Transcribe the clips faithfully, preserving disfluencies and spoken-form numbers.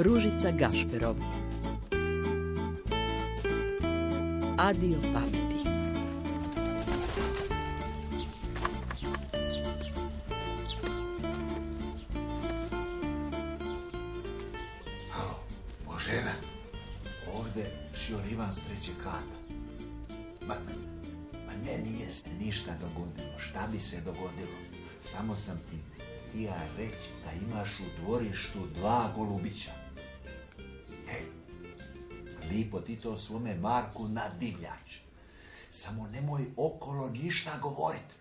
Ružica Gašperov. Adio pameti. Božena, ovdje šior Ivan s trećeg kata. Ma, ma ne, nije se ništa dogodilo. Šta bi se dogodilo? Samo sam ti htio reći da imaš u dvorištu dva golubića. He, lipo ti to svome Marku nadivljač. Samo nemoj okolo ništa govorit.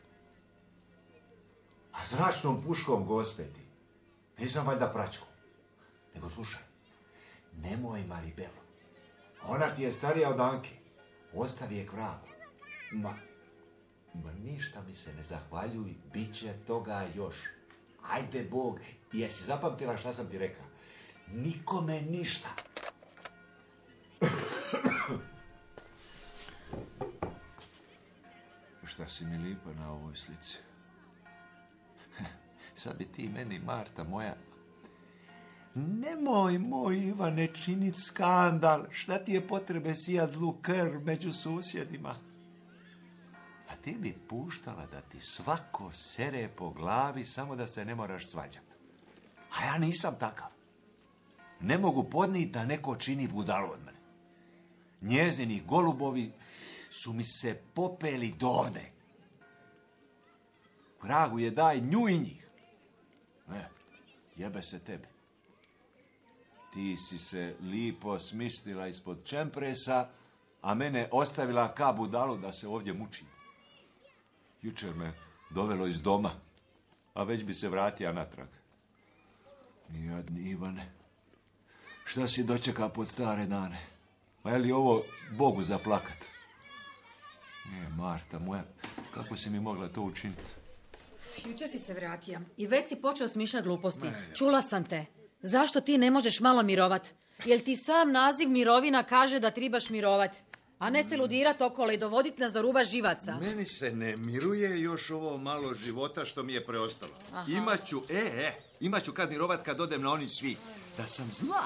A zračnom puškom, gospeti, nisam valjda pračku. Nego slušaj, nemoj Maribelu. Ona ti je starija od Anke. Ostavi je k vragu. Ma, ma ništa mi se ne zahvaljuj, bit će toga još. Ajde Bog, jesi zapamtila šta sam ti rekao? Nikome ništa. Šta si mi lipa na ovoj slici? Sad bi ti meni, Marta moja... Nemoj, moj Ivane, činit skandal. Šta ti je potrebe sijat zlu krv među susjedima? A ti bi puštala da ti svako sere po glavi samo da se ne moraš svađat. A ja nisam takav. Ne mogu podnijeti da neko čini budalu od mene. Njezini golubovi su mi se popeli dovde. Vragu je daj nju i njih. E, jebe se tebi. Ti si se lipo smislila ispod čempresa, a mene ostavila ka budalu da se ovdje mučim. Jučer me dovelo iz doma, a već bi se vratio natrag. Jadni Ivane, šta si dočeka pod stare dane? Ma je li ovo Bogu za plakat? Nije, Marta moja, kako si mi mogla to učiniti? Jučer si se vratio i već si počeo smišljati gluposti. Čula sam te. Zašto ti ne možeš malo mirovat? Jel ti sam naziv mirovina kaže da tribaš mirovat? A ne se ludirat okolo i dovodit nas do ruba živaca. Meni se ne miruje još ovo malo života što mi je preostalo. Aha. Imaću, e, e, imaću kad mirovat kad odem na oni svi. Da sam zla,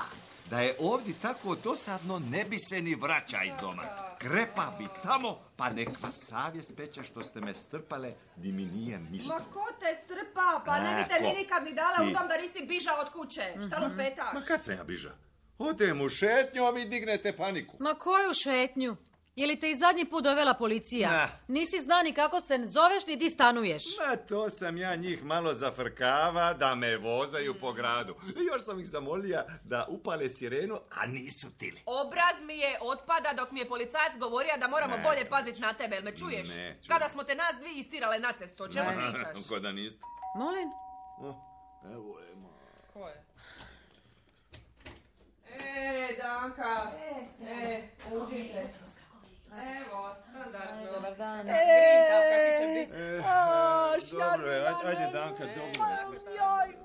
da je ovdje tako dosadno, ne bi se ni vraća iz doma. Krepa bi tamo, pa nek vas savjest peče što ste me strpale, di mi nije ništa. Ma ko te strpa? Pa ne bi te mi nikad ni dala u dom da nisi bižao od kuće. Šta lupetaš? Ma kad sam ja biža? Odem u šetnju, a vi dignete paniku. Ma koju šetnju? Je li te i zadnji put dovela policija? Na. Nisi zna ni kako se zoveš ni di stanuješ. Ma to sam ja njih malo zafrkava da me vozaju po gradu. Još sam ih zamolija da upale sirenu, a nisu tili. Obraz mi je otpada dok mi je policajac govorio da moramo Ne. bolje paziti na tebe, jel me čuješ? Ne, čujem. Kada smo te nas dvije istirale na cestu, o čemu Ne. pričaš? Ko da niste? Molim? O, evo je mo. Ko je? E, Danka. E, užite. Evo, standardno. Dobar dan. E, E, dobro je, ajde, ajde Danka, dobro. Joj,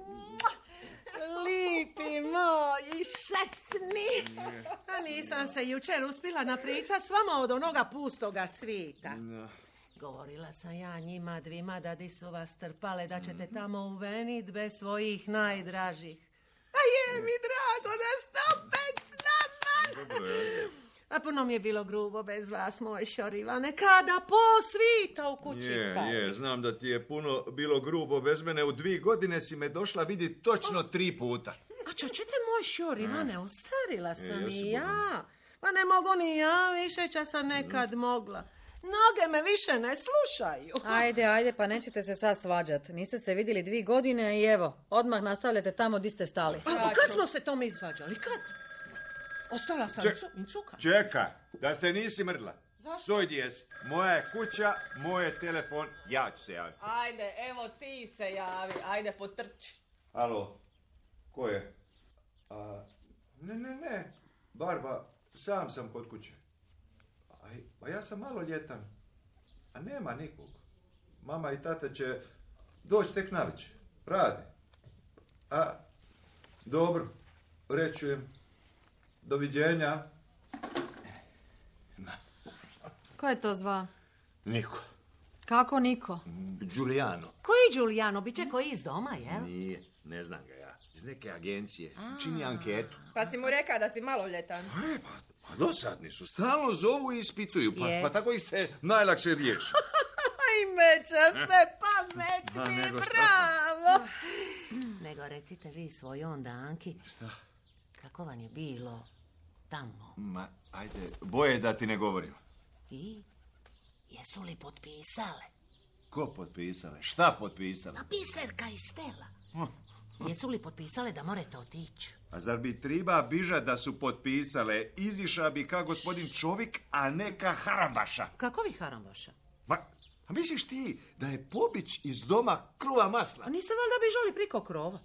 lipi moji šesni. A nisam se jučer uspjela napričat s vama od onoga pustoga svita. No. Govorila sam ja njima dvima da di su vas trpale, da ćete tamo uvenit bez svojih najdražih. A je mi drago da ste opet s nama. Dobro je. A puno mi je bilo grubo bez vas, moj Šorivane, kada po svita u kući. Je, pali. je, znam da ti je puno bilo grubo bez mene. U dvije godine si me došla vidjeti točno tri puta. A čo ćete moj Šorivane, ostarila sam E, i ja sam ja. Pa ne mogu ni ja više, ča sam nekad mogla. Noge me više ne slušaju. Ajde, ajde, pa nećete se sad svađat. Niste se vidjeli dvije godine i evo, odmah nastavljate tamo di ste stali. A, a kad smo se tome izvađali? Kad? Ostala sam Ček- cu- cuka. Čekaj, da se nisi mrdla. Zašto? Stoj gdje jesi. Moja je kuća, moj je telefon, ja ću se javiti. Ajde, evo ti se javi. Ajde, potrči. Alo, ko je? A, ne, ne, ne, Barba, sam sam kod kuće. Aj, pa ja sam maloljetan, a nema nikog. Mama i tata će doći tek navečer, rade. A, dobro, rečujem. Doviđenja. Ko je to zva? Niko. Kako niko? Giuliano. Koji Giuliano? Biće koji iz doma, jel? Nije, ne znam ga ja. iz neke agencije. Čini anketu. Pa si mu rekao da si maloljetan. E, pa, pa dosadni su. Stalno zovu i ispituju. Pa, Je. pa tako ih se najlakše riješi. Aj, meča ste pametni, nego šta? bravo. Nego recite vi svoj onda, Anki, Šta? kako vam je bilo tamo? Ma, ajde, boje da ti ne govorim. I jesu li potpisale? Ko potpisale? Šta potpisale? A Biserka i Stela. Jesu li potpisale da morate otići? A zar bi triba biža da su potpisale? Iziša bi ka gospodin čovjek, a ne ka harambaša. Kako vi harambaša? Ma, a misliš ti da je pobić iz doma kruva masla? A niste valjda bižali priko krova?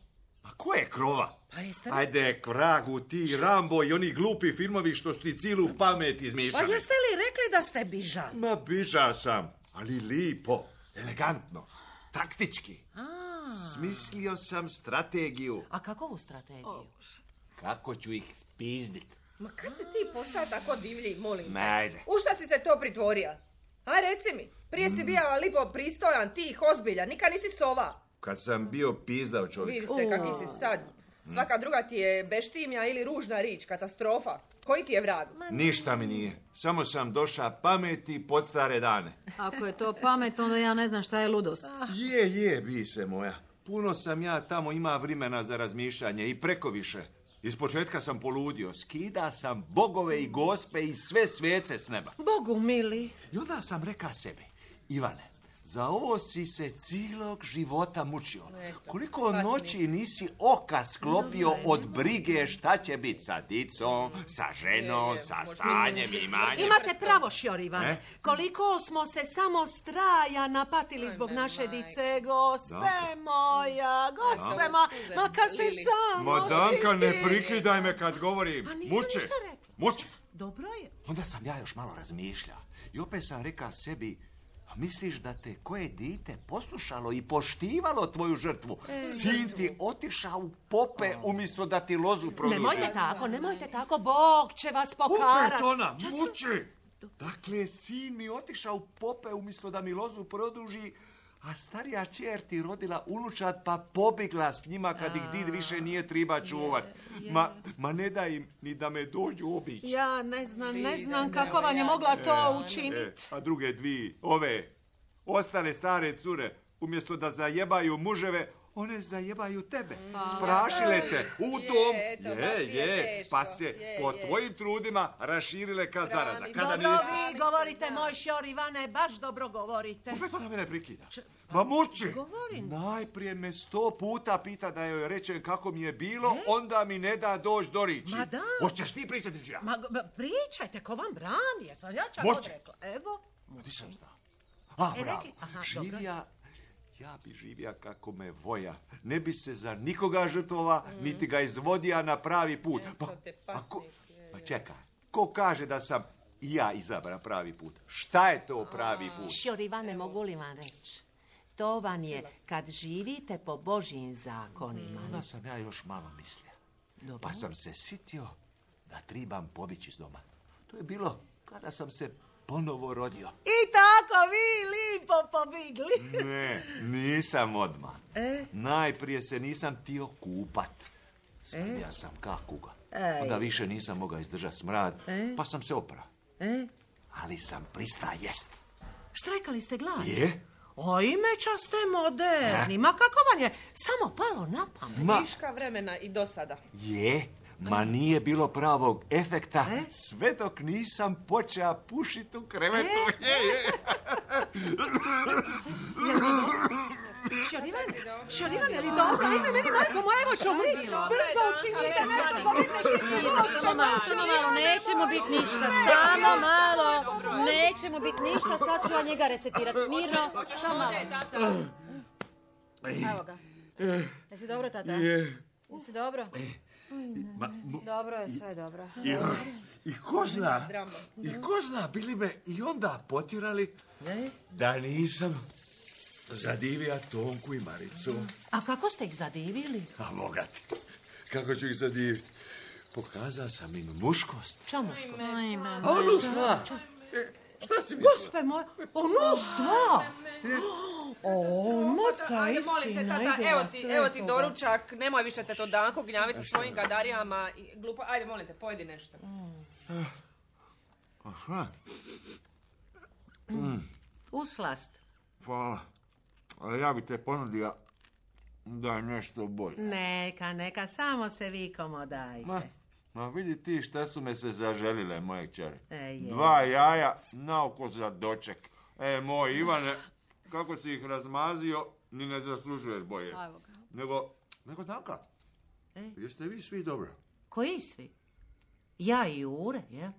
A ko je krova? Pa jeste... Ajde, k vragu, ti Rambo i oni glupi filmovi što su ti cilu pamet Pa izmišljali. jeste li rekli da ste bižali? Ma, biža sam, ali lipo, elegantno, taktički. A, Smislio sam strategiju. a kakovu strategiju? Kako ću ih spizdit? Ma kad si ti postao tako divlji, molim te? Ma, ajde. U šta si se to pritvorio? A reci mi, prije si bio lipo pristojan, tih, ozbiljan, nikad nisi sova. Kad sam bio pizdao čovjek. Vidi se kaki si sad. Svaka druga ti je beštimja ili ružna rič, katastrofa. Koji ti je vrag? Ništa mi nije. Samo sam doša pameti pod stare dane. Ako je to pamet, onda ja ne znam šta je ludost. Je, je, bi se moja. Puno sam ja tamo ima vremena za razmišljanje i preko više. Iz početka sam poludio. Skida sam bogove i gospe i sve svece s neba. Bogu mili. I onda sam reka sebi, Ivane, za ovo si se cijelog života mučio. Koliko noći nisi oka sklopio od brige šta će biti sa dicom, sa ženom, sa stanjem, imanjem. Imate pravo, Šjor Ivane. E? Koliko smo se samo straja napatili zbog naše dice, gospe moja, gospe moja, ma kad se samo Madanka, ne siti. prikidaj me kad govorim. Pa nisam Muče, ništa rekla. muče. Dobro je. Onda sam ja još malo razmišljao i opet sam reka sebi, a misliš da te koje dite poslušalo i poštivalo tvoju žrtvu? Sin ti otišao u pope umjesto da ti lozu produži. Nemojte tako, nemojte tako, Bog će vas pokarat. Opet ona, muči! Dakle, sin mi otišao u pope umjesto da mi lozu produži, a starija čer ti rodila unučad pa pobjegla s njima kad ih did više nije triba čuvat. Ma, ma ne da im ni da me dođu obići. Ja ne znam, ne znam kako vam je mogla to E, učiniti. a druge dvije, ove, ostale stare cure, umjesto da zajebaju muževe, one zajebaju tebe. Sprašile te u dom. Je, to baš Je, ti je je, teško. pa se Je, po je. tvojim trudima raširile ka zaraza. Kada Dobro nisi... vi govorite, moj Šjor Ivane, baš dobro govorite. Opet ona mene prekida. Ma muči! govorim. Najprije me sto puta pita da joj rečem kako mi je bilo, onda mi ne da doći do riči. Ma da. Hoćeš ti pričati ili ću ja? Ma go- pričajte, ko vam brani, jesam ja čak Moći. odrekla. Evo, Ti sam znao. A, E, bravo. rekli- aha, Živija, ja bi živija kako me voja. Ne bi se za nikoga žrtvova, niti ga izvodija na pravi put. Pa, te pa, ko, patnik, pa čekaj, ko kaže da sam i ja izabra pravi put? Šta je to pravi put? Šjor Ivane, mogu li vam reći? To vam je kad živite po Božjim zakonima. Onda sam ja još malo mislio. Pa sam se sitio da tribam pobići iz doma. To je bilo kada sam se ponovo rodio. I tako vi lipo pobigli. Ne, nisam odmah. E? Najprije se nisam tio kupat. Smrdija sam ka kuga. Ej. Onda više nisam mogao izdržat smrad, pa sam se oprao. E? Ali sam prista jest. Štrajkali ste glavu? Je? O, imeća ste moderni. Ma kako vam je samo palo na pamet? Ma, Viška vremena i do sada. je, ma nije bilo pravog efekta sve dok nisam počeo pušiti u krevetu. Je, je. Šjor Ivane, Šjor Ivane, ali dobro, ajme meni, majko moja, evo ću umri. Brzo učinite nešto, pobjedite. Mirno, samo malo, samo malo, nećemo biti ništa, samo malo, nećemo biti ništa, sad ću ja njega resetirati. Mirno, samo malo. Evo ga. Jesi dobro, tata? Jesi dobro? Dobro je, sve je dobro. I, I ko zna, i ko zna, bili me i onda potirali da nisam zadivija Tonku i Maricu. A kako ste ih zadivili? A Boga ti, kako ću ih zadiviti? Pokazao sam im muškost. Čamuško. A ono sva. E, šta si mislila? Gospe moja, ono stva. O, moca, Ajde, molim te, tata, evo ti, evo ti doručak, nemoj više te to Danko gnjaviti sa svojim gadarijama i glupo. Ajde, molim te, pojedi nešto. Aha. Uslast. Hvala. Ali ja bi te ponudio da je nešto bolje. Neka, neka, samo se vi komodajte. Ma, ma vidi ti šta su me se zaželile, moje kćeri. E, je. Dva jaja naoko za doček. E, moj Ivane, kako si ih razmazio, ni ne zaslužuješ bolje. Evo ga. Nego, nego Danka, E? jeste vi svi dobro? Koji svi? Ja i Jure, je?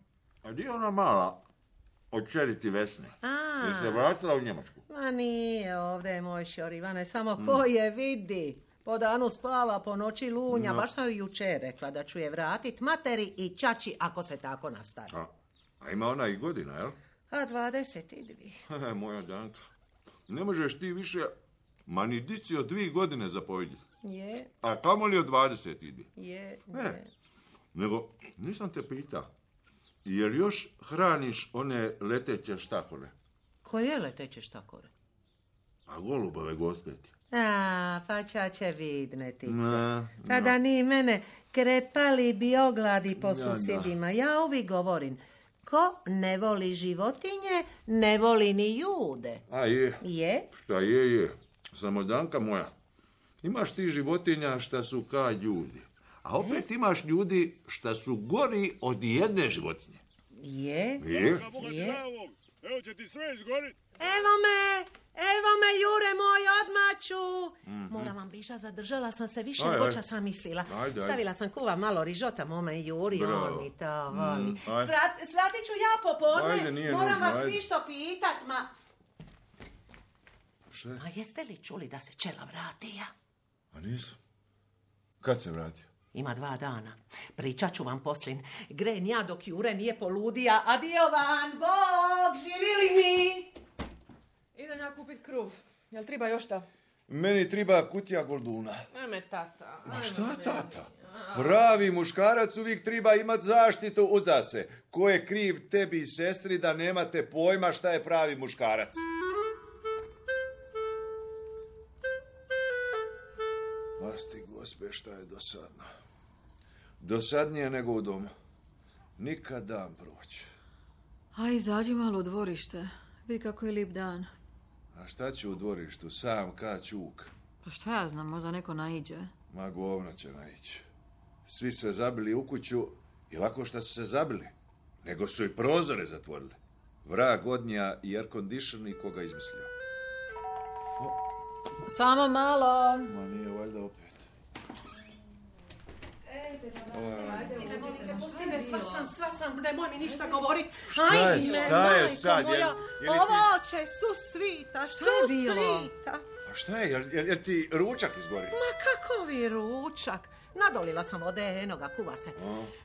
A gdje je ona mala od čeriti Vesne? A, Je se vratila u Njemačku? ma nije, ovdje je moj šor Ivane, samo ko je vidi. Po danu spava, po noći lunja, No. baš sam joj jučer rekla da ću je vratit materi i čači ako se tako nastavi. A, a ima ona i godina, jel? A dvadeset dvi. Moja Danka, ne možeš ti više, ma ni dici od dvije godine zapovjediti. Je, A kamo li od dvadeset idi? je, Ne. je. Nego, nisam te pitao, jel još hraniš one leteće štakore? Koje leteće štakore? A golubove gospeti? A, pa čače vidnetice. Ne, Kada ni mene krepali bi ogladi po Ja, susjedima. Ja uvijek govorim, ko ne voli životinje, ne voli ni ljude. A je, Je? šta je, je. Samo Danka moja, imaš ti životinja šta su ka ljudi. A opet imaš ljudi šta su gori od jedne životinje. Je? Je? Je? Evo će ti sve izgorit. Evo me, evo me, Jure moj, odmaću. Moram vam biša, zadržala sam se više Aj, nego aj. ča sam mislila. Ajde, ajde. Stavila sam kuva malo rižota mome i Juri, Bravo. on mi to voli. aj. Srat, sratit ću ja popodne, Ajde, nije moram nužno, vas ajde. ništo pitat, ma... Šta je? A jeste li čuli da se Čela vratija? A nisam. Kad se vratio? Ima dva dana. Pričat ću vam poslin. Gren ja dok Jure nije poludija. Adio van, Bog, živili mi! Idem ja kupit kruv. Jel treba još šta? Meni treba kutija golduna. Ajme, tata. A šta, tata? Pravi muškarac uvijek treba imat zaštitu uza se. Ko je kriv tebi i sestri da nemate pojma šta je pravi muškarac? Vlasti gospe, šta je dosadno. Dosadnije nego u domu. Nikad dan proći. Aj, izađi malo u dvorište. Vidi kako je lijep dan. A šta ću u dvorištu, sam ka čuk? Pa šta ja znam, možda neko naiđe. Ma govno će naići. Svi se zabili u kuću i lako šta su se zabili. Nego su i prozore zatvorili. Vrag odnija i air conditioner koga izmislio. Samo malo. Ma nije valjda opet. Pusti me, sva sam, sva sam, nemoj mi ništa govorit. Šta je, šta je sad? Moja, Jel- je li ti- ovo će su svita, su je bilo? svita. A šta je, jel, jel, jel ti ručak izgori? Ma kakovi ručak. Nadolila sam vode, enoga, kuva se.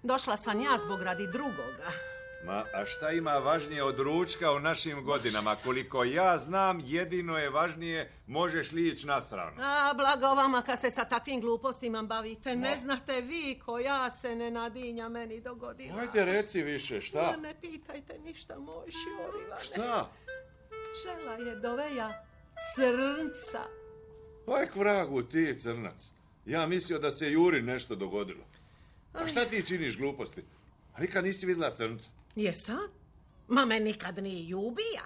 Došla sam ja zbog radi drugoga. Ma, a šta ima važnije od ručka u našim godinama? Koliko ja znam, jedino je važnije možeš li ići na stranu. A, blago vama kad se sa takvim glupostima bavite. Ne znate vi ko ja se ne nadinja meni dogodila. Ajde, reci više, Ma, šta? ne pitajte ništa, moj Šorivane. Šta? Žela je doveja crnca. Aj k vragu ti, crnac. Ja mislio da se Juri nešto dogodilo. A šta ti činiš gluposti? A nikad nisi vidjela crnca. Jesam? Ma me nikad ni ljubija.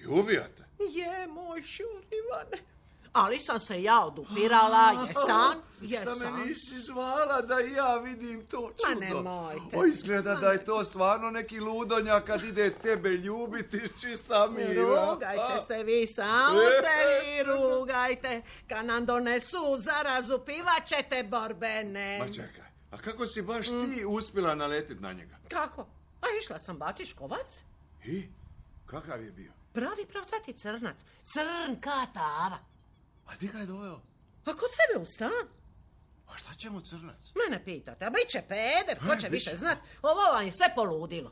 Ljubijate? Je, moj Šurivane. Ali sam se ja odupirala, jesam, Šta me jesam. nisi zvala da i ja vidim to čudo? Ma nemojte. O, izgleda da je to stvarno neki ludonja kad ide tebe ljubiti iz čista mira. Rugajte se vi, samo se vi rugajte. Kad nam donesu zarazu, pivat ćete borbene. Ma čekaj, a kako si baš ti uspjela naletit na njega? Kako? A išla sam baci škovac. I? Kakav je bio? Pravi pravcati crnac. Crn ka tava. A ti ga je doveo? A kod sebe u stan? A šta će mu crnac? Mene pitate, a bit će peder, ko E, će bit više će. znat. Ovo vam je sve poludilo.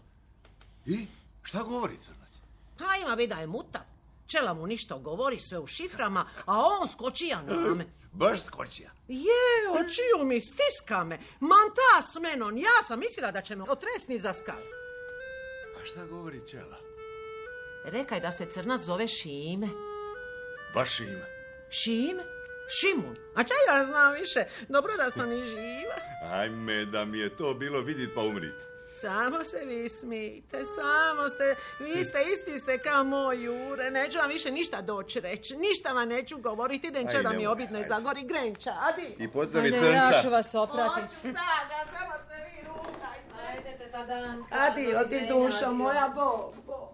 I? Šta govori crnac? A ima vida je mutav. Čela mu ništa govori, sve u šiframa, a on skočija na me. Baš skočija. Je, očiju mi, stiska me. Manta s menom, ja sam mislila da će me otresni za skal. A šta govori čela? Rekaj da se crnac zove Šime. baš ima. Šim? Šimun? A čaj ja znam više? Dobro da sam i živa. Ajme, da mi je to bilo vidit pa umrit. Samo se vi smijte, samo ste, vi ste isti ste kao moj Jure, neću vam više ništa doći reći, ništa vam neću govoriti, denče Aj, da mi nemoj, obit ne ajde. zagori Grenča, adi. I pozdravi Ajde, crnca. ja ću vas oprati. Hoću, draga, samo se vi rukajte. Ajde, teta Danka. Adi, odi dušo moja, Bog, Bog.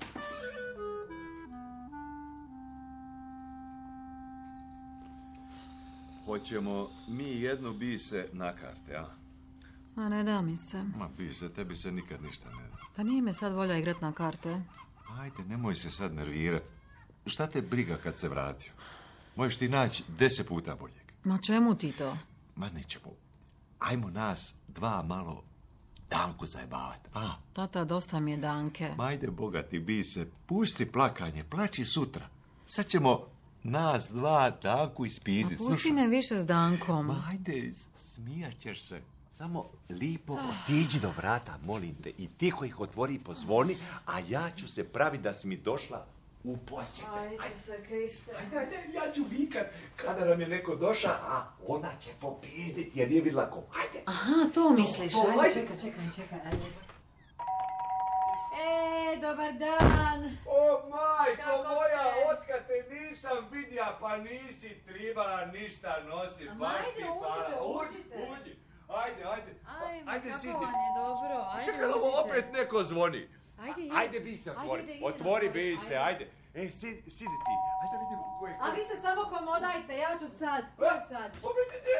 Hoćemo mi jednu bise na karte, a? Ma ne da mi se. Ma bise, tebi se nikad ništa ne da. Pa nije me sad volja igrat na karte. Ajde, nemoj se sad nervirat. Šta te briga kad se vratio? Možeš ti naći deset puta boljeg. Ma čemu ti to? Ma nećemo. Ajmo nas dva malo Danku zajebavat, a? Tata, dosta mi je Danke. Ma ajde, bogati bise, pusti plakanje, plaći sutra. Sad ćemo nas dva Danku ispizdit. Ma pusti me više s Dankom. Ma ajde, smijat ćeš se. Samo lipo otiđi do vrata, molim te, i tiho ih otvori i pozvoni, a ja ću se praviti da si mi došla u posjete. Aj, Isuse Kriste. Ajde, ajde, ja ću vikat kada nam je neko došao, a ona će popizditi jer nije vidjela ko. Ajde. Aha, to misliš. To, Ajde, ajde. čekaj, čekaj, čekaj. Ajde. E, dobar dan. O, majko Kako moja, ste? otkad te nisam vidja, pa nisi tribala ništa nosit. A baš ajde, ti para. uđite, Uđi, uđite. uđi. Ajde, ajde. Ajme, Ajde, kako sidi. vam je dobro. Ajde, Čekaj, ovo uđite. opet neko zvoni. Ajde, idi. Ajde, bi se Ajde, otvori. ide, ide, Otvori otvori, bi se, ajde. ajde. E, sidi, sidi ti. Ajde vidimo ko je. A vi se samo komodajte, ja ću sad. Ko je sad? Pa vidite,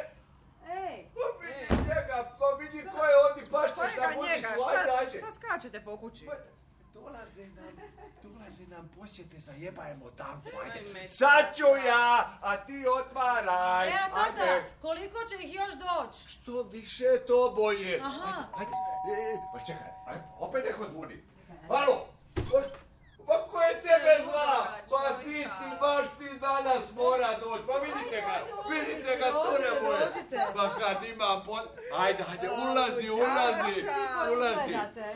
Ej. pa vidi njega, pa vidi ko je ovdje, pašćeš na Kojega njega? muzicu, ajde, Šta, ajde. šta skačete po kući? Pa, Dolaze nam, dolaze nam posjete, zajebajemo Danku, ajde. Ajme. Sad ću ja, a ti otvaraj. E, a tata, Ajde. koliko će ih još doći? Što više to bolje. Aha. Ajde, ajde. E, pa čekaj, ajde, opet neko zvoni. Alo, pa, pa ko je tebe zva? Pa ti si, baš si danas mora doći. Pa vidite ga, Ajde, vidite ga, dođite, cure moje. dođite. Pa kad imam pot... Ajde, ajde, ulazi, ulazi, ulazi. Gledate.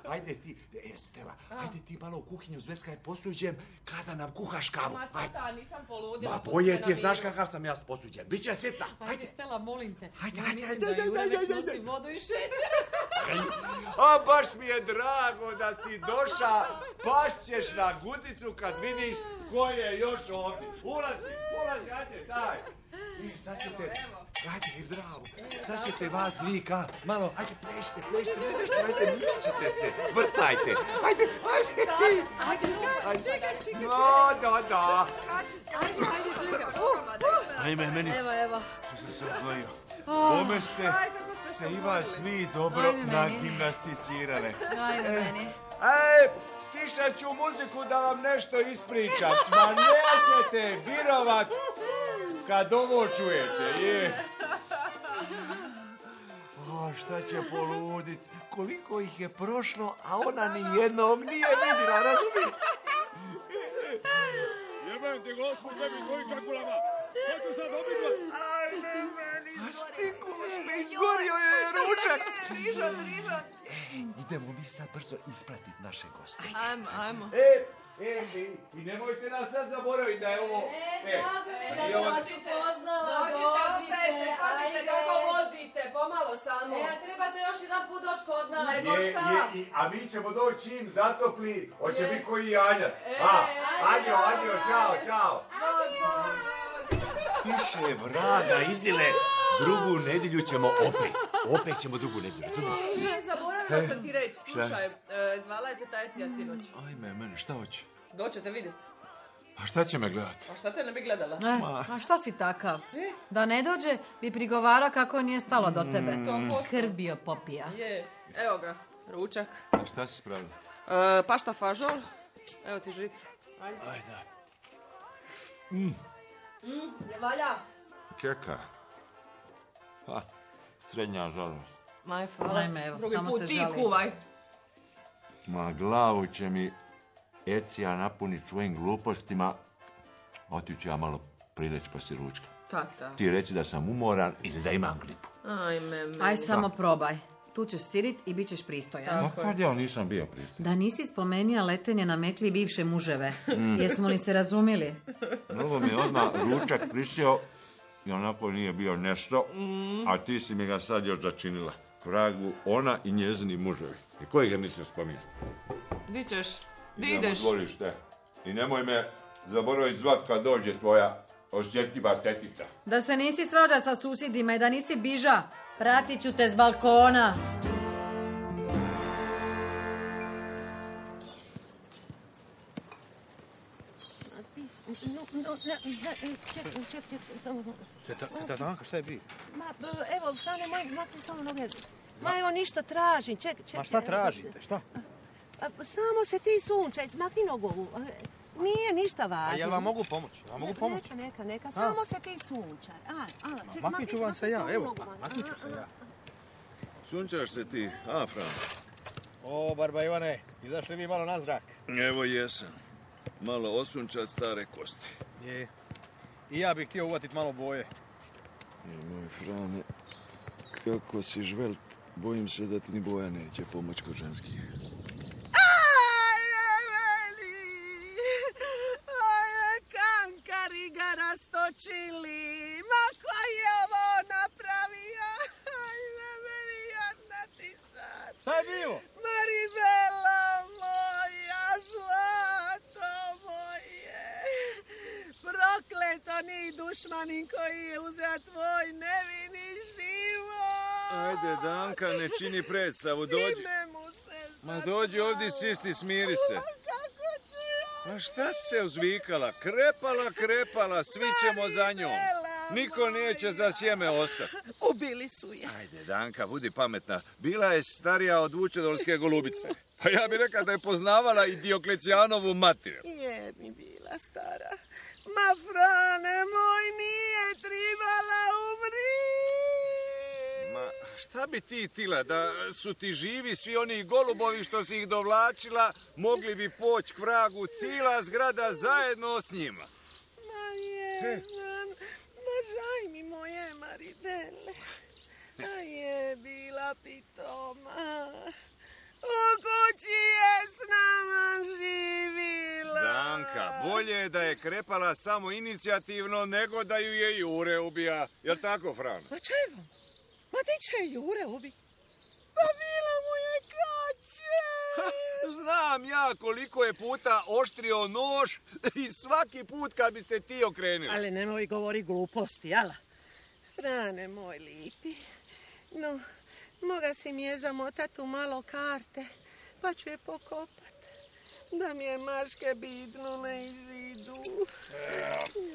Ajde ti, e, Stela, ajde ti malo u kuhinju zveskaj posuđem kada nam kuhaš kavu. Ma Ajde. tata, nisam poludila. Ma pusti bolje me ti na je, znaš miru. kakav sam ja posuđen. Biće sitna, Ajde, ajde. Stela, molim te. Ajde, Ja ajde, mislim ajde, da ajde, Jure ajde, već ajde, nosi ajde. vodu i šećer. A baš mi je drago da si došla, pašćeš na guzicu kad vidiš ko je još ovdje. Ulazi, ulazi, ajde, daj. I sad ćete, ajde, bravo, sad ćete vas dvika, malo, ajde, plešite, plešite, plešite, ajde, mičite se, vrcajte, ajde, ajde, Ajde, skači, čekaj, čekaj. no, da, da. Ajde, ajde, čekaj. Uh, Ajme, meni, Evo, evo. što sam se odvojio. Oh, Kome ste se i vas dvi dobro Ajme, meni. nagimnasticirale. Ajme meni. Ej, stišat ću muziku da vam nešto ispričam. Ma nećete virovat kad ovo čujete, je. O, šta će poludit? Koliko ih je prošlo, a ona ni jednog nije vidjela, razumiješ? Jebem ti gospod, tebi tvojim čakulama. Hoću sad obidva. Ajme, meni. A stiku mi izgorio je ručak. Trižot, trižot. Idemo mi sad brzo ispratit naše goste. Ajmo, ajmo. E, e, i, i nemojte nas sad zaboraviti da je ovo... E, drago mi je da i sam ovo- vas upoznala, Dođite, dođite, opet, pazite ajde. kako vozite, pomalo samo. E, a trebate još jedan put doći kod nas. Ne, Je, šta? je, i, a mi ćemo doći čim zatopli, hoće Je. biti koji janjac. E, A, ajde, adio, adio, čao, čao. Dođ, dođ, dođ. Tiše, vraga, izile. Drugu nedjelju ćemo opet. Opet ćemo drugu nedjelju, razumiješ? Ne, zaboravila sam ti reći, slušaj, e, zvala je teta Ecija sinoć. Ajme, mene, šta hoće? Doćete vidjet. A šta će me gledat? A šta te ne bi gledala? E, a šta si takav? Da ne dođe, bi prigovara kako nije stalo do tebe. posto. Krv bio popija. Je, evo ga, ručak. A šta si spravila? E, pašta fažol, evo ti žica. Ajde. Ajde. Mm, ne valja? Čeka. Ha, srednja žalost. Maj, hvala. Ajme, evo, Drugi samo put se ti žali. kuvaj. Ma glavu će mi Ecija napuniti svojim glupostima. Otiću ja malo prileć poslije ručka. Tata. Ti reci da sam umoran ili da imam gripu. Ajme, meni. Aj, samo probaj. Tu ćeš sidit i bit ćeš pristojan. Ma kad ja nisam bio pristojan. Da nisi spomenija letenje na mekli i bivše muževe. Jesmo li se razumjeli? Mnogo mi je odmah ručak prisio i onako nije bio nešto, a ti si mi ga sad još začinila. Kragu, ona i njezini muževi. I koji ga nisam spominjati? Di ćeš? Di Idemo ideš? u dvorište. I nemoj me zaboraviti zvat kad dođe tvoja osjetljiva tetica. Da se nisi svađa sa susjedima i da nisi biža, pratit ću te s balkona. Teta Danka, šta je bi? Ma, evo, Frane, moj, makni samo noge. Ma, evo, ništa tražim, ček, ček. Ma šta tražite, šta? A, samo se ti sunčaj, smakni nogovu. Nije ništa važno. A jel vam mogu pomoći? Vam mogu pomoći? Neka, neka, neka, samo se ti sunčaj. A, a, ček, Maknit ću vam se ja, evo, nogu. maknit ću se ja. Sunčaš se ti, a, Fran? O, Barba Ivane, izašli vi malo na zrak? Evo jesam. Malo osunčat stare kosti. Je. I ja bih htio uvatit malo boje. Moj Frane, kako si žvelt, bojim se da ti ni boja neće pomoć kod ženskih. Kankari ga rastočili. Ma ko je ovo napravio? Ajme, meni jadna ti sad. Šta je bilo? Maribela moja, zlato moje. Prokleto ni dušmanin koji je uzeo tvoj nevini život. Ajde, Danka, ne čini predstavu, dođi. Sime mu se Ma dođi ovdje, sisti, smiri se. kako ću ja? A šta se uzvikala? Krepala, krepala, svi ćemo za njom. Niko neće za sjeme ostati. Ubili su je. Ajde, Danka, budi pametna. Bila je starija od Vučedolske golubice. Pa ja bih rekao da je poznavala i Dioklecijanovu mater. Je mi bila stara. Ma, Frane moj, nije tribala umri. Ma, šta bi ti tila? Da su ti živi svi oni golubovi što si ih dovlačila, mogli bi poći k vragu cijela zgrada zajedno s njima. Ma je, znam. Ma žaj mi moje Maribele. A je bila pitoma. U kući je s nama živila. Danka, bolje je da je krepala samo inicijativno nego da ju je Jure ubija. Jel tako, Fran? Ma čevo? Ma ti će Jure ubi? Pa bila mu je kače. Znam ja koliko je puta oštrio nož i svaki put kad bi se ti okrenio. Ali nemoj govori gluposti, jala? Frane moj lipi, no, moga si mi je zamotat u malo karte, pa ću je pokopat, da mi je maške bidnu na izidu.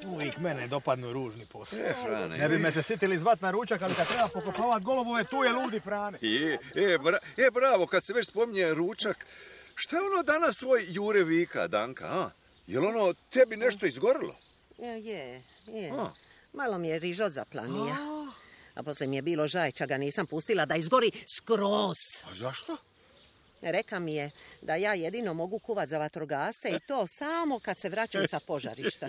Uvijek mene dopadnu ružni posao. E, Frane. Ne bi me se sitili zvat na ručak, ali kad treba pokopovat golubove, tu je ludi Frane. Je, e, bra, e, bravo, kad se već spominje ručak, šta je ono danas tvoj Jure vika, Danka, a? Jel ono tebi nešto izgorilo? Je, je. A. Malo mi je rižo zaplanija. A poslije mi je bilo žajča, ga nisam pustila da izgori skroz. A zašto? Reka mi je da ja jedino mogu kuvat za vatrogasce i to samo kad se vraćam sa požarišta.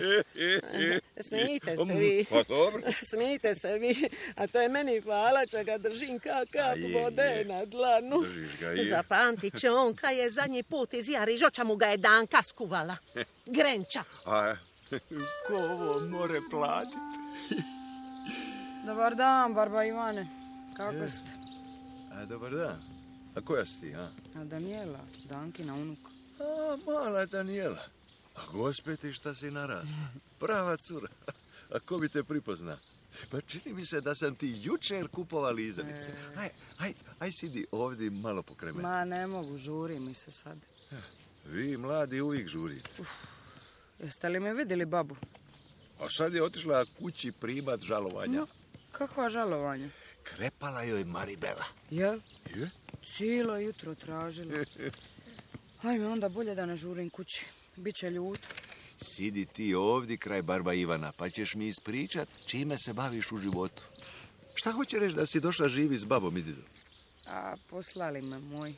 Smijte se vi. Pa dobro. Smijte se vi. A to je meni hvala, što ga držim ka kap je, vode je. na dlanu. Držiš ga, je. Zapamtit će on kad je zadnji put iz Jarižoća mu ga je Danka skuvala. Grenča. A, ko ovo more platiti? Dobar dan, Barba Ivane. Kako ste? A, dobar dan. A koja si ti, a? A Danijela, Dankina unuka. A, mala Danijela. A gospe ti šta si narasla. Prava cura. A ko bi te pripozna? Pa čini mi se da sam ti jučer kupova lizalice. Aj, aj, aj sidi ovdje malo pokraj mene. Ma ne mogu, žuri mi se sad. Vi mladi uvijek žurite. Jeste li me vidjeli, babu? A sad je otišla kući primat žalovanja. No, kakva žalovanja? Krepala joj Maribela. Jel? Je? Cijelo jutro tražila. Hajme, onda bolje da ne žurim kući. Biće ljuto. Sidi ti ovdje kraj Barba Ivana, pa ćeš mi ispričat čime se baviš u životu. Šta hoće reći da si došla živi s babom i didom? A poslali me moj.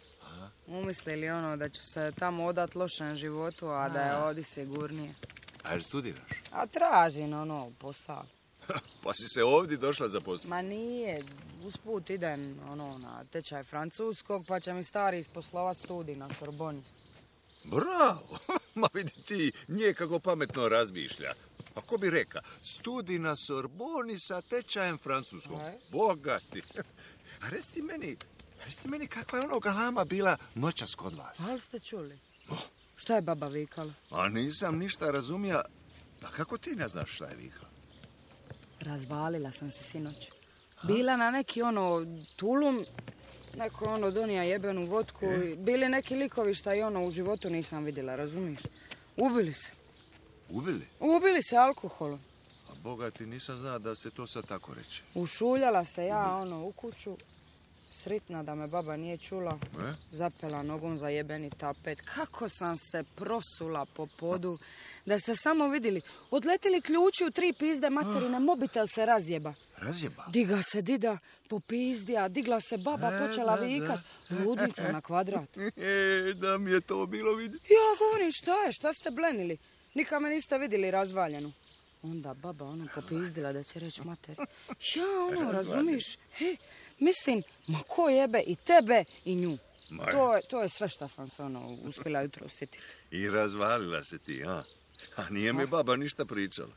Umislili ono da ću se tamo odat lošem životu, a da je ovdje sigurnije. A jel studiraš? A tražim ono posao. Pa si se ovdje došla zaposliti? Ma nije, usput idem ono, na tečaj francuskog, pa će mi stari isposlovat studij na Sorboni. Bravo! Ma vidi ti, nije kako pametno razmišlja. A ko bi reka, studij na Sorboni sa tečajem francuskog. Bogati. A reci ti meni, reci ti meni kakva je ono galama bila noćas kod vas? Ali ste čuli? Šta je baba vikala? A nisam ništa razumija. A kako ti ne znaš šta je vikala? Razvalila sam se sinoć. Bila na neki ono tulum, neko ono donija jebenu vodku. E? Bili neki likovi šta i ono u životu nisam vidjela, razumiješ? Ubili se. Ubili? Ubili se alkoholom. A Boga ti nisam zna da se to sad tako reče. Ušuljala se ja ono u kuću. Sritna da me baba nije čula. E? Zapela nogom za jebeni tapet. Kako sam se prosula po podu. Da ste samo vidjeli. Odletili ključi u tri pizde materine. Mobitel se razjeba. Razjeba? Diga se dida, popizdija. Digla se baba, e, počela da, vikat. Da. Ludnica na kvadrat. E, da mi je to bilo vidjeti. Ja govorim, šta je? Šta ste blenili? Nikad me niste vidjeli razvaljenu. Onda baba ono popizdila da će reći mater. Ja ono, razumiš? He, mislim, ma ko jebe i tebe i nju. To je, to je sve što sam se ono uspjela jutro sjetiti. I razvalila se ti, a? A nije mi baba ništa pričala.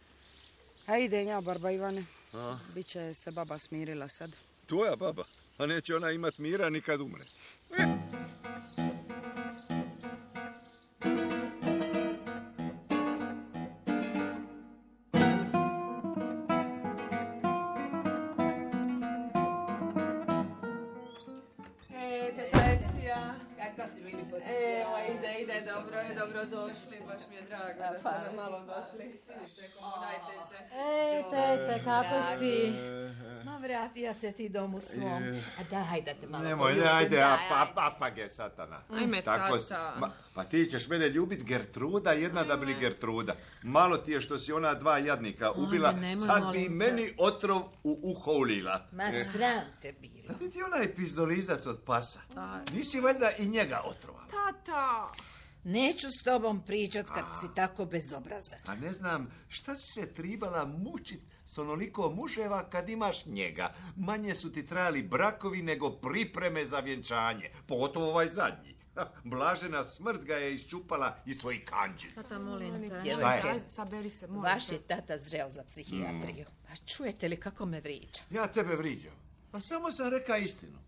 A ide nja, barba Ivane. A? Biće se baba smirila sad. Tvoja baba? A neće ona imat mira nikad umre. Evo, ide, ide, dobro je, dobro došli, baš mi je drago da ste nam malo došli. Vidite, komodajte se. Ej, tete, kako si? Ma vratija se ti domu svom. A daj, hajde te malo. Nemoj, ne, ajde, a pa, apage satana. Ajme, tata. Ma, pa ti ćeš mene ljubit Gertruda, jedna da bili Gertruda. Malo ti je što si ona dva jadnika ubila, Ajme, sad bi meni otrov u uho ulila. Ma sram te bilo. A ti ti onaj pizdolizac od pasa. Nisi valjda i njega otrovala? Tata! Neću s tobom pričat kad a, si tako bezobrazan. A ne znam, šta si se tribala mučit s onoliko muževa kad imaš njega? Manje su ti trajali brakovi nego pripreme za vjenčanje. Pogotovo ovaj zadnji. Blažena smrt ga je iščupala iz tvojih kanđi. Tata, molim te. Šta je? Saberi se, molim Vaš je tata zreo za psihijatriju. Mm. A čujete li kako me vriđa? Ja tebe vriđam. Pa samo sam reka istinu.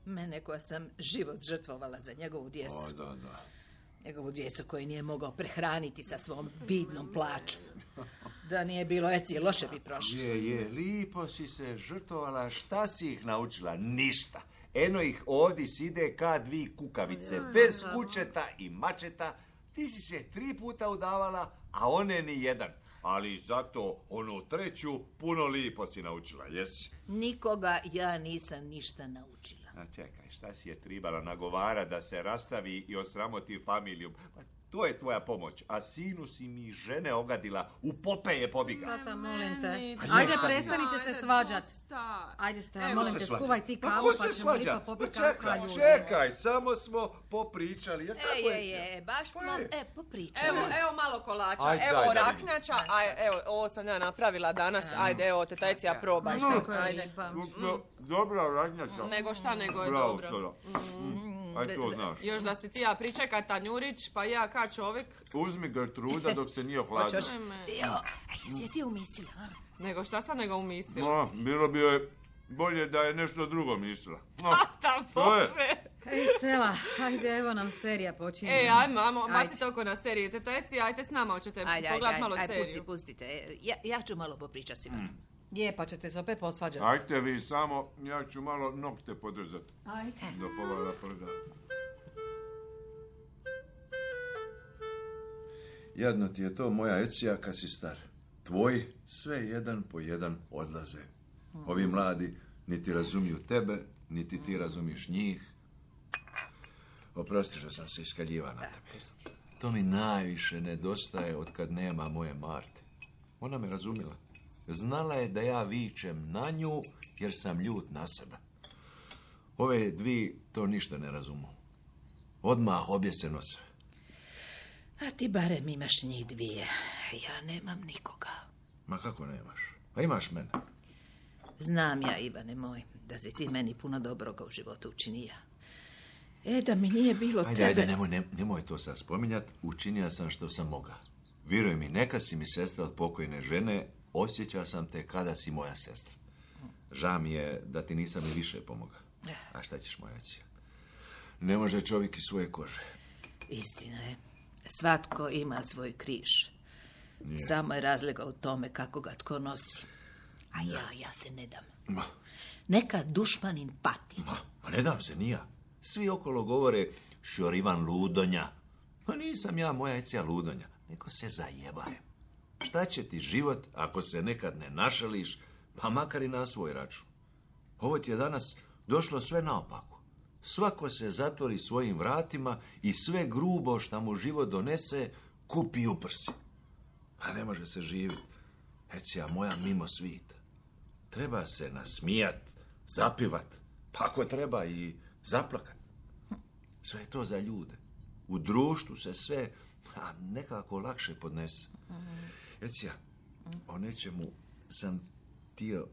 Mene koja sam život žrtvovala za njegovu djecu. O, da, da. Njegovu djecu koju nije mogao prehraniti sa svom bidnom plaćom. Da nije bilo eci, loše bi prošlo. Je, je, lipo si se žrtvovala. Šta si ih naučila? Ništa. Eno ih ovdje side ka dvi kukavice. Bez kućeta i mačeta. Ti si se tri puta udavala, a one ni jedan. Ali zato onu treću puno lipo si naučila, jesi? Nikoga ja nisam ništa naučila. A čekaj, šta si je tribala nagovara da se rastavi i osramoti familiju? Pa to je tvoja pomoć, a sinu si mi žene ogadila, u pope je pobiga. Tata, molim te. Ajde, prestanite se svađat. Ajde, Stela, molim te, skuvaj ti kavu, pa ćemo lipa popiti kavu. Čekaj, samo smo popričali. Ej, ej, ej, baš smo, e, popričali. Evo, evo malo kolača, evo raknjača, a evo, ovo sam ja napravila danas, ajde, evo, tetajcija, probaj. Dobra raknjača. Nego šta, nego je dobro. Aj to znaš. Još da si ti ja pričekaj Tanjurić, pa ja ka čovjek. Uzmi Gertruda dok se nije ohladila. Jo, jesi je ti umislila? Nego šta sam nego umislila? No, bilo bi joj bolje da je nešto drugo mislila. No, Tata, Bože! Ej, Stela, ajde, evo nam serija počinje. Ej, ajmo, ajmo, bacite oko na seriju. Teteci, ajte s nama, hoćete pogledat malo seriju. Ajde, pusti, pustite. Ja, ja ću malo popričati s vama. Je, pa ćete se opet posvađati. Ajte vi samo, ja ću malo nokte podržati. Ajde. Do pogleda prda. Jadno ti je to, moja Ecija, kad si star. Tvoji sve jedan po jedan odlaze. Ovi mladi niti razumiju tebe, niti ti razumiš njih. Oprosti što sam se iskaljiva na tebe. To mi najviše nedostaje od kad nema moje Marte. Ona me razumila. Znala je da ja vičem na nju jer sam ljut na sebe. Ove dvi to ništa ne razumu. Odmah obje se nose. A ti barem imaš njih dvije. Ja nemam nikoga. Ma kako nemaš? Pa imaš mene. Znam ja, Ivane moj, da si ti meni puno dobroga u životu učinija. E, da mi nije bilo ajde, tebe... Ajde, nemoj, ne, nemoj to sad spominjat. Učinio sam što sam moga. Vjeruj mi, neka si mi sestra od pokojne žene, osjećao sam te kada si moja sestra. Žao mi je da ti nisam i više pomoga. A šta ćeš, moja cija? Ne može čovjek iz svoje kože. Istina je. Svatko ima svoj križ. Nije. Samo je razlika u tome kako ga tko nosi. A ja, ja se ne dam. Ma. Neka dušmanin pati. Ma, a ne dam se, nija. Svi okolo govore Šorivan ludonja. Pa nisam ja, moja cija, ludonja. Neko se zajebaje. Šta će ti život ako se nekad ne našališ, pa makar i na svoj račun? Ovo ti je danas došlo sve naopako. Svako se zatvori svojim vratima i sve grubo što mu život donese kupi u prsi. Pa ne može se živjeti. Ecija moja mimo svita. Treba se nasmijat, zapivat, pa ako treba i zaplakat. Sve je to za ljude. U društvu se sve a, nekako lakše podnese. Ecija, o nečemu sam htio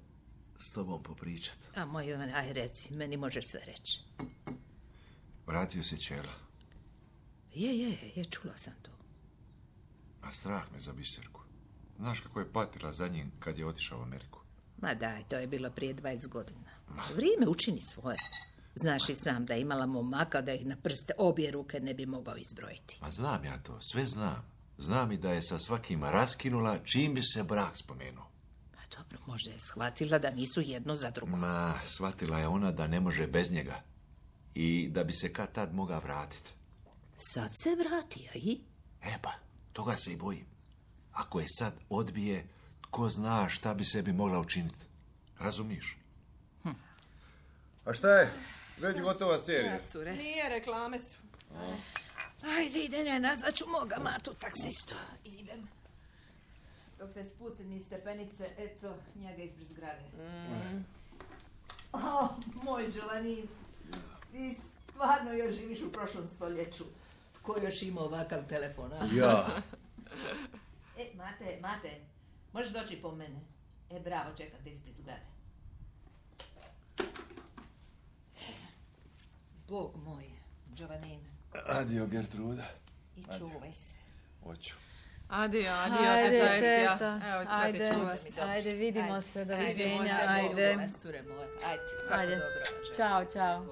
s tobom popričat. A moj Ivane, aj reci, meni možeš sve reći. Vratio se Čela. Je, je, je, čula sam to. A strah me za Biserku. Znaš kako je patila za njim kad je otišao u Ameriku? Ma daj, to je bilo prije dvadeset godina. Vrijeme učini svoje. Znaš i sam da je imala momaka da ih na prste obje ruke ne bi mogao izbrojiti. Ma znam ja to, sve znam. Znam i da je sa svakim raskinula čim bi se brak spomenuo. Pa dobro, možda je shvatila da nisu jedno za drugo. Ma, shvatila je ona da ne može bez njega. I da bi se kad tad mogao vratiti. Sad se vratio i? E pa, toga se i bojim. Ako je sad odbije, tko zna šta bi sebi mogla učiniti. Razumiješ? Hm. A šta je? Već gotova serija. Cure. Nije, reklame su. A. Ajde, idem, ja nazvaću moga matu taksistu. Idem. Dok se spustim iz stepenice, eto, njega ispred zgrade. Mm. O, moj Giovanni, ti stvarno još živiš u prošlom stoljeću. Tko još ima ovakav telefon, a? Ja. E, Mate, Mate, možeš doći po mene. E, bravo, čekam te ispred zgrade. Bog moj, Giovanni. Adio, Gertruda. I čuvaj se. Hoću. Adio, adio, Ajde, teta Ecija. teta. Evo, Ajde, ispratit ću vas. ajde, vidimo Ajde. se, Ajde, doviđenja, možda ajde. Bogu, cure moje. Ajde, svako Ajde. dobro. želim. Ćao, čao.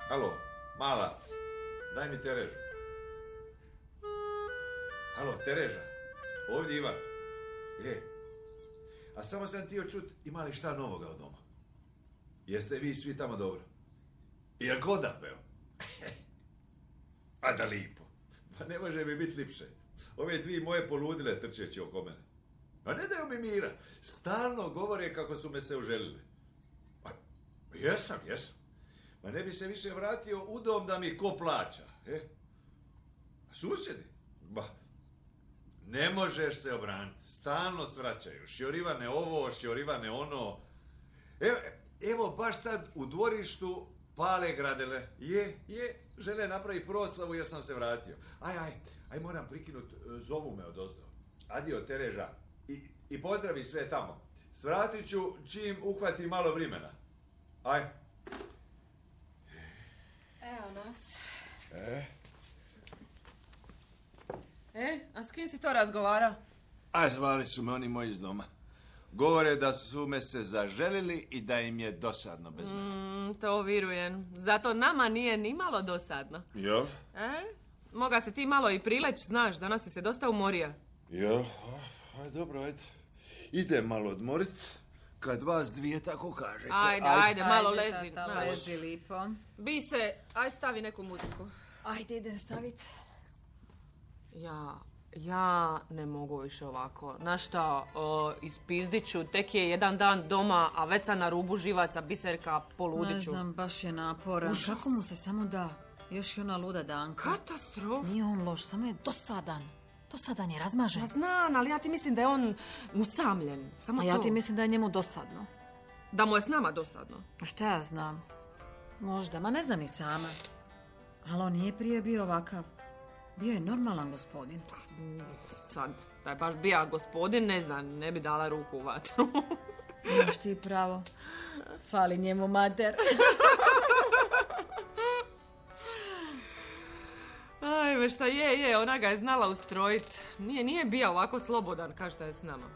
Alo, mala, daj mi Terežu. Alo, Tereža, ovdje Ivan. E, a samo sam htio čut, ima li šta novoga od doma? Jeste vi svi tamo dobro? Jel goda peo? A da lipo. Pa ne može mi biti lipše. Ove dvije moje poludile trčeći oko mene. A ne daju mi mira. Stalno govore kako su me se uželili. A, jesam, jesam. Ma ne bi se više vratio u dom da mi ko plaća. E? Susjedi? Ba, ne možeš se obraniti. Stalno svraćaju. Šjorivane ovo, šjorivane ono. Evo, evo baš sad u dvorištu pale gradele. Je, je, žele napraviti proslavu jer sam se vratio. Aj, aj, aj moram prikinut, zovu me odozdo. Adio, Tereža. I, i pozdravi sve tamo. Svratit ću čim uhvati malo vremena. Aj. Evo nas. E? E, a s kim si to razgovara? A zvali su me oni moji iz doma. Govore da su me se zaželili i da im je dosadno bez mene. Mm, to vjerujem. Zato nama nije ni malo dosadno. Jo? E? Moga se ti malo i prileć, znaš, danas si se dosta umorio. Jo, aj dobro, ajde. Idem malo odmorit, kad vas dvije tako kažete. Ajde, ajde, ajde malo Ajde, lezi. tata, znaš. lezi lipo. Bi se, aj stavi neku muziku. Ajde, idem staviti. Ja, ja ne mogu više ovako. Znaš šta, o, ispizdit ću, tek je jedan dan doma, a već sam na rubu živaca, Biserka, poludit Ne ću. znam, baš je naporan. Užas. Kako mu se samo da? Još i ona luda Danka. Katastrofa. Nije on loš, samo je dosadan. Dosadan je, razmažen. Ja znam, ali ja ti mislim da je on usamljen. Samo A ja to. ti mislim da je njemu dosadno. Da mu je s nama dosadno. Šta ja znam? Možda, ma ne znam ni sama. Ali on nije prije bio ovakav. Bio je normalan gospodin. Sad, da je baš bija gospodin, ne znam, ne bi dala ruku u vatru. Imaš ti pravo. Fali njemu mater. Ajme, šta je, je, ona ga je znala ustrojit. Nije, nije bija ovako slobodan kao što je s nama.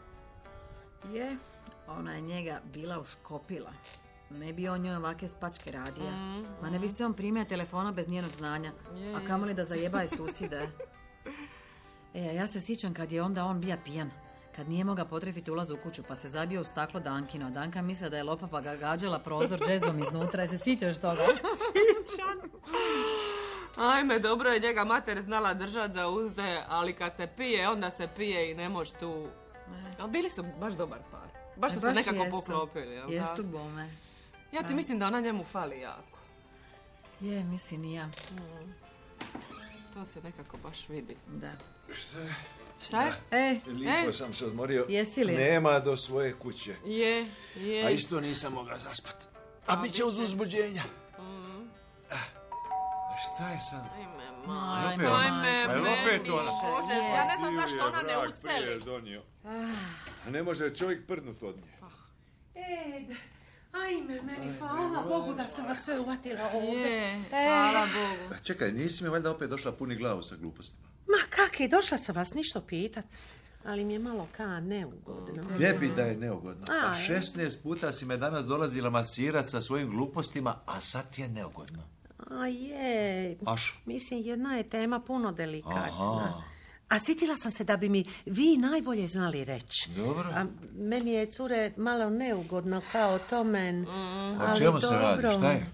Je, ona je njega bila uškopila. Ne bi on njoj ovake spačke radija. Mm, Ma ne bi se on primio telefona bez njenog znanja. Je, a kamoli da zajebaje susjede. E, a ja se sjećam kad je onda on bija pijan. Kad nije mogao potrefiti ulaz u kuću, pa se zabio u staklo Dankino. Danka misle da je lopa, pa ga gađala prozor džezom iznutra. I se sjećaš toga? Ajme, dobro je njega mater znala držat za uzde, ali kad se pije, onda se pije i ne može tu... Ali bili su baš dobar par. Baš su se nekako jesu. Poklopili. Jel, jesu bome. Ja ti a. mislim da ona njemu fali jako. Je, mislim i ja. Mm. To se nekako baš vidi. Da. Šta je? Šta je? E, Lipo e. sam se odmorio. Jesi li? Nema do svoje kuće. Je, je. A isto nisam mogla zaspat. A, a bit će uz uzbuđenja. Mm. A šta je sad? Ajme, majme, ajme, ajme, opet ona. Bože, ja ne znam zašto ona ne useli. Donio. A ne može čovjek prdnut od nje. E, ajme, meni, hvala Bogu da sam vas sve uvatila ovdje. Je, hvala Bogu. A čekaj, nisi mi valjda opet došla puni glavu sa glupostima? Ma kaki, došla sam vas ništa pitat. Ali mi je malo ka neugodno. Gdje bi da je neugodno? Pa šesnaest puta si me danas dolazila masirat sa svojim glupostima, a sad ti je neugodno. A je, Aš? mislim jedna je tema puno delikatna. Aha. A sitila sam se da bi mi vi najbolje znali reći. Dobro. A meni je, cure, malo neugodno kao to men. Mm. O čemu se radi, šta je?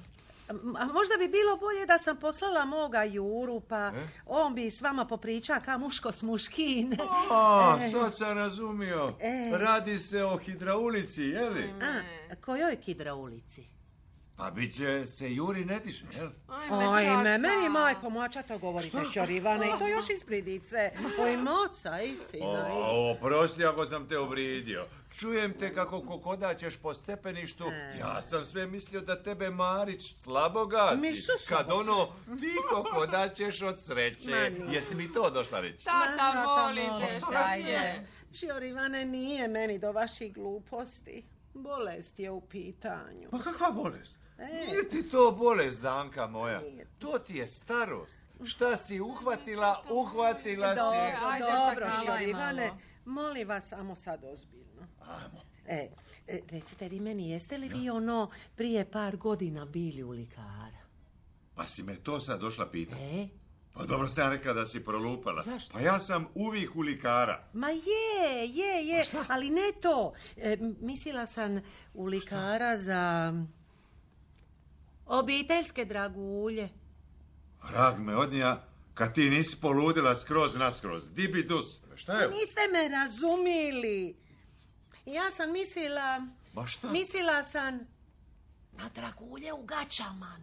A možda bi bilo bolje da sam poslala moga Juru, pa e? on bi s vama popriča ka muško s muškin. A, e. sad sam razumio. E. Radi se o hidraulici, je li? A, kojoj hidraulici? Pa bit će se Juri ne tiše, jel? Ajme, meni majko moća to govorite, Šorivane, i to još iz pridice. Oj, moca i sina. O, oprosti ako sam te uvrijedio. Čujem te kako kokodaćeš po stepeništu. E. Ja sam sve mislio da tebe Marić slabo gasi. Kad ono, ti kokodaćeš od sreće. Mani. Jesi mi to došla reći? Tata, molim te, šta je? Šorivane, nije meni do vaših gluposti. Bolest je u pitanju. Pa kakva bolest? E. Nije ti to bolest, Danka moja. Nije. To ti je starost. Šta si uhvatila, uhvatila dobro, si. Ajde, dobro, Šorivane, molim vas samo sad ozbiljno. Ajmo. E, recite vi meni, jeste li vi ono prije par godina bili u likara? Pa si me to sad došla pitati. E? Pa dobro sam rekla da si prolupala. Zašto? Pa ja sam uvijek u likara. Ma je, je, je, ali ne to. E, mislila sam u likara šta? Za obiteljske dragulje. Vrag me odnija, kad ti nisi poludila skroz naskroz. Dibidus. Šta je? Niste me razumili. Ja sam mislila... Ba šta? Mislila sam na dragulje u gaćama.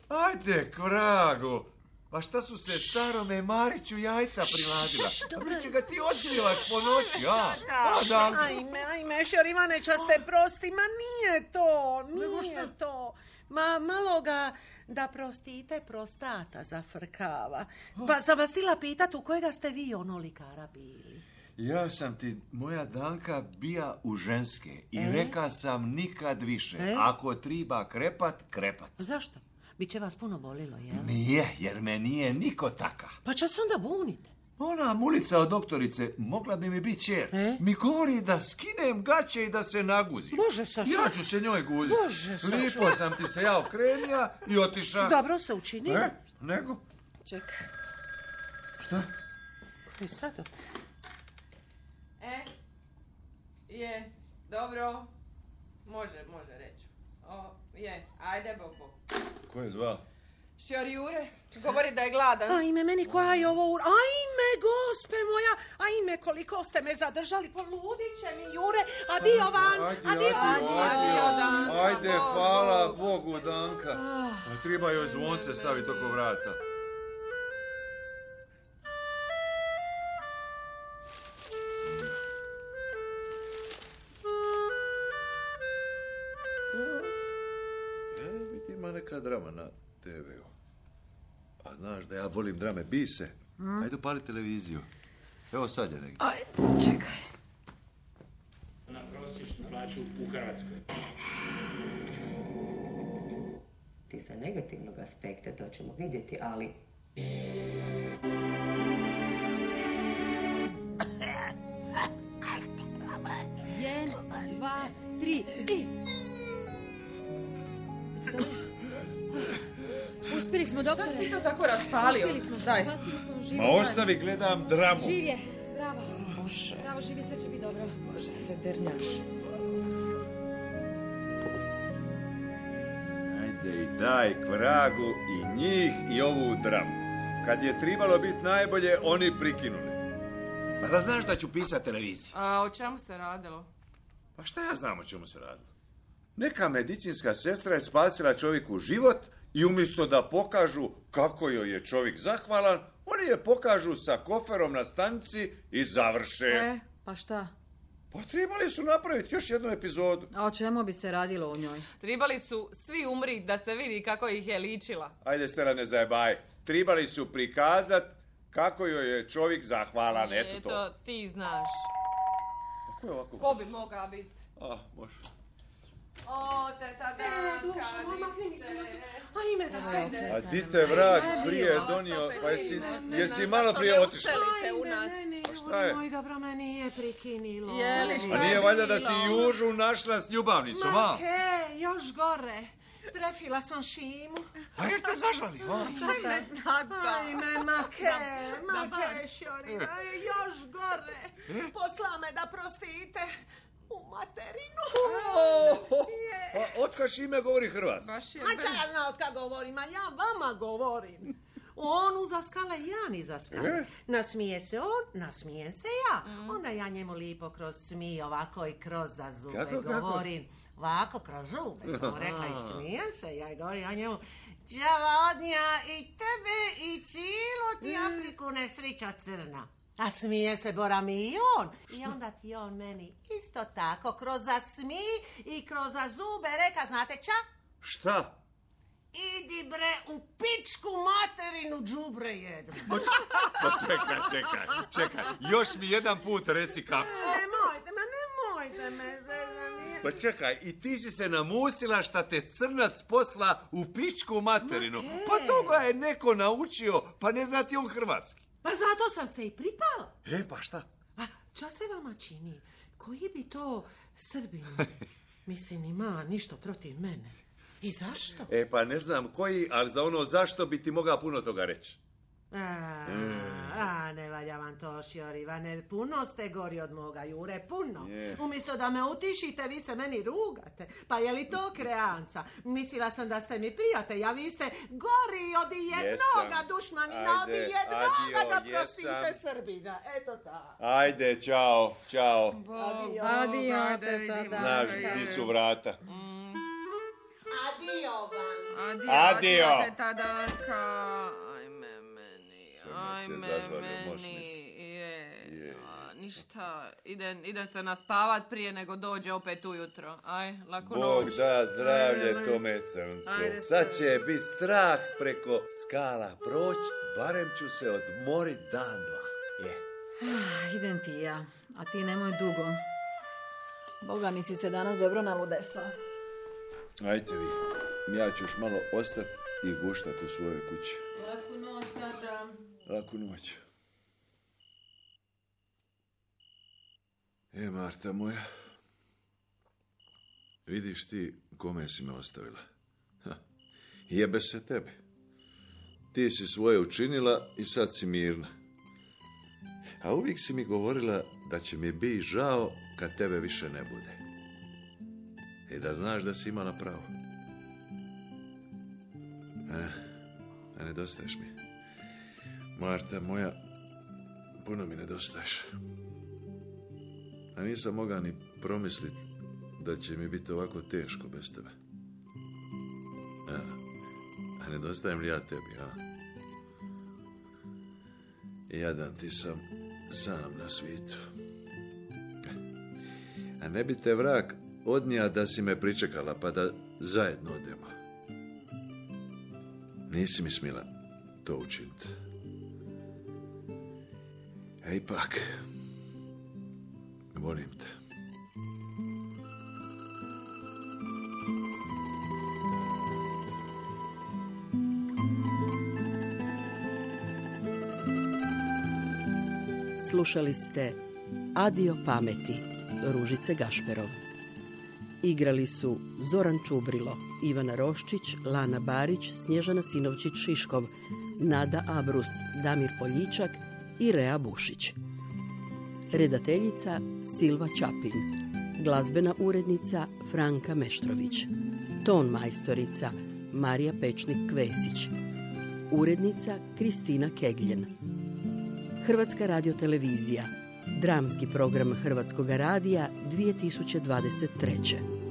Ajde, k vragu. Pa šta su se starome Mariću jajca priladila? Pa bit će ga ti otkrivaš po noći, a? a da... Ajme, ajme, Šorivane, časte prosti, ma nije to, nije to. Ma malo ga da prostite prostata zafrkava. Pa sam vas htjela pitat u kojega ste vi ono likara bili? Ja sam ti, moja Danka, bija u ženske i e? reka sam nikad više. E? Ako triba krepat, krepat. Zašto? Biće vas puno bolilo, jel? Nije, jer me nije niko taka. Pa će se onda bunite. Ona mulica od doktorice mogla bi mi biti čer. E? Mi govori da skinem gaće i da se naguzim. Bože, Saša. Ja ću se njoj guziti. Bože, Saša. Lipo sam ti se ja okrenija i otiša. Dobro ste učinili. E? Nego? Čekaj. Šta? Koji sad? E? Je, dobro. Može, može reći. O, je, ajde, bok, bok. Ko je zvao? Šjor Jure, govori da je gladan. Ajme, meni koja je ovo ur... Ajme, gospe moja, ajme, koliko ste me zadržali, poludit će mi, Jure, adio van, ajde, adio, adio, adio, Danka. Ajde, hvala Bogu, Danka. A treba joj zvonce staviti oko vrata. Ima neka drama A znaš da ja volim drame, Bise. Mm. Ajde upali televiziju. Evo sad je negdje. Aj, čekaj. Na prosječnu plaću u Hrvatskoj. Ti sa negativnog aspekta, to ćemo vidjeti, ali... Jedan, dva, tri, i... Uspjeli smo, doktore. Šta si to tako raspalio? Uspjeli smo. Daj. Smo, živ Ma ostavi, gledam dramu. Živ je, bravo. Bože. Bravo, živ je, sve će biti dobro. Bože, se dernjaš. Ajde i daj k vragu i njih i ovu dramu. Kad je trebalo biti najbolje, oni prikinuli. Pa da znaš da ću pisati televiziji. A o čemu se radilo? Pa šta ja znam o čemu se radilo? Neka medicinska sestra je spasila čovjeku život i umjesto da pokažu kako joj je čovjek zahvalan, oni je pokažu sa koferom na stanici i završe. E, pa šta? Pa trebali su napraviti još jednu epizodu. A o čemu bi se radilo u njoj? Trebali su svi umriti da se vidi kako ih je ličila. Ajde, Stela, ne zajebaj. Trebali su prikazat kako joj je čovjek zahvalan. Eto to. Eto, ti znaš. A ko je ovako? Ko bi mogao biti? A, može. O, teta Danka, dušo, makni mi se. A ime da se. A di te vrag prije donio, pa jesi, jesi malo prije otišla. Ajme, ne, šta je? moj dobro me nije prikinilo. Jeli, šta A nije je valjda da si bilo? Južu našla s ljubavnicom, a? Ma ke, još gore. Trefila sam Šimu. A jer te zažvali, a? Ajme, ma ke, ma ke, Šorina, još gore. Posla me da prostite. U materinu. A otkad Šime govori hrvatski? Ma ča ja znam od kad govorim, a ja vama govorim. On uza skale, ja niza skale. E? Nasmije se on, nasmije se ja. Onda ja njemu lipo kroz smije ovako i kroz za zube Kako, kako? govorim. Ovako kroz zube sam rekla i smije se. Ja govorim ja njemu, đava odnija i tebe i cijelu ti Afriku nesrića crna. A smije se Bora mi i on. I onda ti on meni isto tako kroz za smij i kroz za zube reka, znate ča? Šta? Idi bre u pičku materinu đubre jedno. Pa čekaj, čekaj, čekaj. Još mi jedan put reci kako. Nemojte me, nemojte me zezanje. Pa čekaj, i ti si se namusila šta te crnac posla u pičku materinu. Pa toga je neko naučio, pa ne zna ti on hrvatski. Pa zato sam se i pripala. E, pa šta? A ča se vama čini? Koji bi to Srbin? Mislim, ima ništa protiv mene. I zašto? E, pa ne znam koji, ali za ono zašto bi ti mogao puno toga reći. A, a ne valja vam to, Šjorivane. Puno ste gori od moga, Jure, puno. Je. Umjesto da me utišite, vi se meni rugate. Pa je li to kreanca? Mislila sam da ste mi prijatelj, a vi ste gori od jednoga Jesam. dušmanina, od Ajde, jednoga adio, da prostite jesam. Srbina. Eto ta. Ajde, čao, čao. Adio. Adio, teta Znaš, di su vrata. Adio vam. Adio, Adio. adio, teta Danka. Ajme meni, Crnac je ajme zažvalio, moš meni. mislit. Je, Je. a, ništa, idem, idem se naspavat prije nego dođe opet ujutro. Aj, laku Bog noć. da zdravlje tome crncu. Ajde, Sad će biti strah preko skala proć, barem ću se odmorit dan dva. Je. Ah, idem ti ja, a ti nemoj dugo. Boga mi si se danas dobro naludesao. Ajte vi, ja ću još malo ostati i guštat u svojoj kući. Laku noć, tata. Laku noć. E, Marta moja, vidiš ti kome si me ostavila. Ha, jebe se tebi. Ti si svoje učinila i sad si mirna. A uvijek si mi govorila da će mi biti žao kad tebe više ne bude. I da znaš da si imala pravo. A, a nedostaješ mi. Marta moja, puno mi nedostaješ. A nisam mogao ni promisliti da će mi biti ovako teško bez tebe. A, a nedostajem li ja tebi, a? Jadan ti sam sam na svijetu. A ne bi te vrag odnija da si me pričekala, pa da zajedno odemo. Nisi mi smila to učiniti. A ipak, volim te. Slušali ste Adio pameti Ružice Gašperov. Igrali su Zoran Čubrilo, Ivana Roščić, Lana Barić, Snježana Sinovčić-Šiškov, Nada Abrus, Damir Poljičak i Rea Bušić. Redateljica Silva Čapin. Glazbena urednica Franka Meštrović. Ton majstorica Marija Pečnik-Kvesić. Urednica Kristina Kegljen. Hrvatska radiotelevizija. Dramski program Hrvatskog radija dvije tisuće dvadeset treće.